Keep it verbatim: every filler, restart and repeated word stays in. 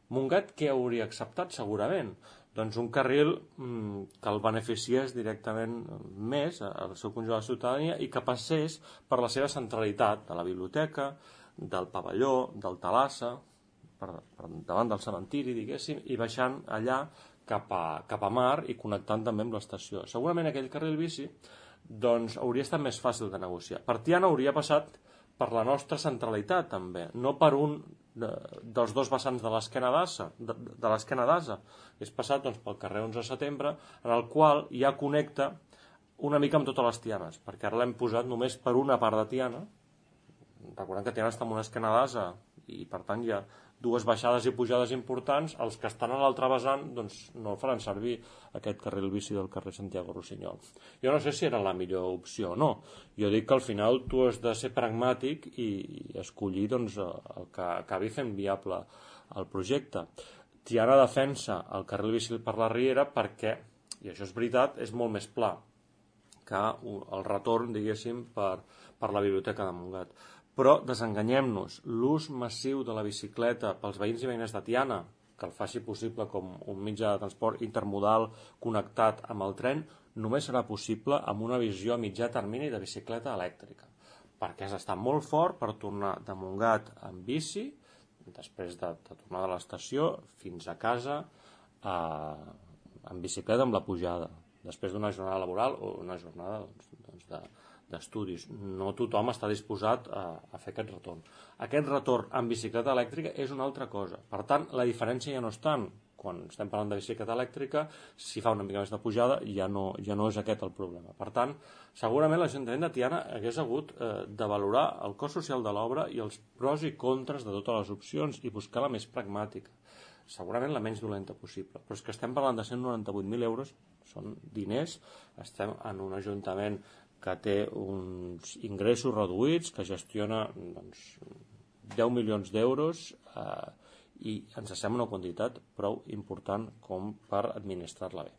Montgat què hauria acceptat segurament? Doncs un carril que el beneficiés directament més al seu conjunt de la ciutadania i que passés per la seva centralitat de la biblioteca, del pavelló, del Talassa, per, per davant del cementiri, diguéssim, i baixant allà cap a, cap a mar i connectant també amb l'estació. Segurament aquell carril bici doncs, hauria estat més fàcil de negociar. Per Tiana hauria passat per la nostra centralitat també, no per un de, dels dos vessants de l'esquena d'Asa, de, de l'esquena d'Asa. És passat doncs, pel carrer onze de setembre, en el qual ja connecta una mica amb totes les Tianes, perquè ara l'hem posat només per una part de Tiana. Recordem que Tiana està en una esquena d'Asa i per tant hi ha dues baixades i pujades importants. Els que estan a l'altre vessant doncs, no faran servir aquest carril bici del carrer Santiago Rossinyol. Jo no sé si era la millor opció o no. Jo dic que al final tu has de ser pragmàtic i, i escollir doncs, el que acabi fent viable el projecte. Tiana defensa el carril bici per la Riera perquè, i això és veritat, és molt més pla que el retorn, diguéssim, per, per la biblioteca de Montgat. Però desenganyem-nos, l'ús massiu de la bicicleta pels veïns i veïnes de Tiana, que el faci possible com un mitjà de transport intermodal connectat amb el tren, només serà possible amb una visió a mitjà termini de bicicleta elèctrica, perquè has d'estar molt fort per tornar de Montgat amb bici, després de, de tornar de l'estació fins a casa eh, amb bicicleta amb la pujada, després d'una jornada laboral o una jornada doncs, doncs de d'estudis. No tothom està disposat a, a fer aquest retorn. Aquest retorn amb bicicleta elèctrica és una altra cosa. Per tant, la diferència ja no és tant. Quan estem parlant de bicicleta elèctrica, si fa una mica més de pujada, ja no, ja no és aquest el problema. Per tant, segurament l'Ajuntament de Tiana hagués hagut eh, de valorar el cost social de l'obra i els pros i contres de totes les opcions i buscar la més pragmàtica. Segurament la menys dolenta possible. Però és que estem parlant de cent noranta-vuit mil euros, són diners, estem en un ajuntament que té uns ingressos reduïts, que gestiona doncs, deu milions d'euros eh, i ens sembla una quantitat prou important com per administrar-la bé.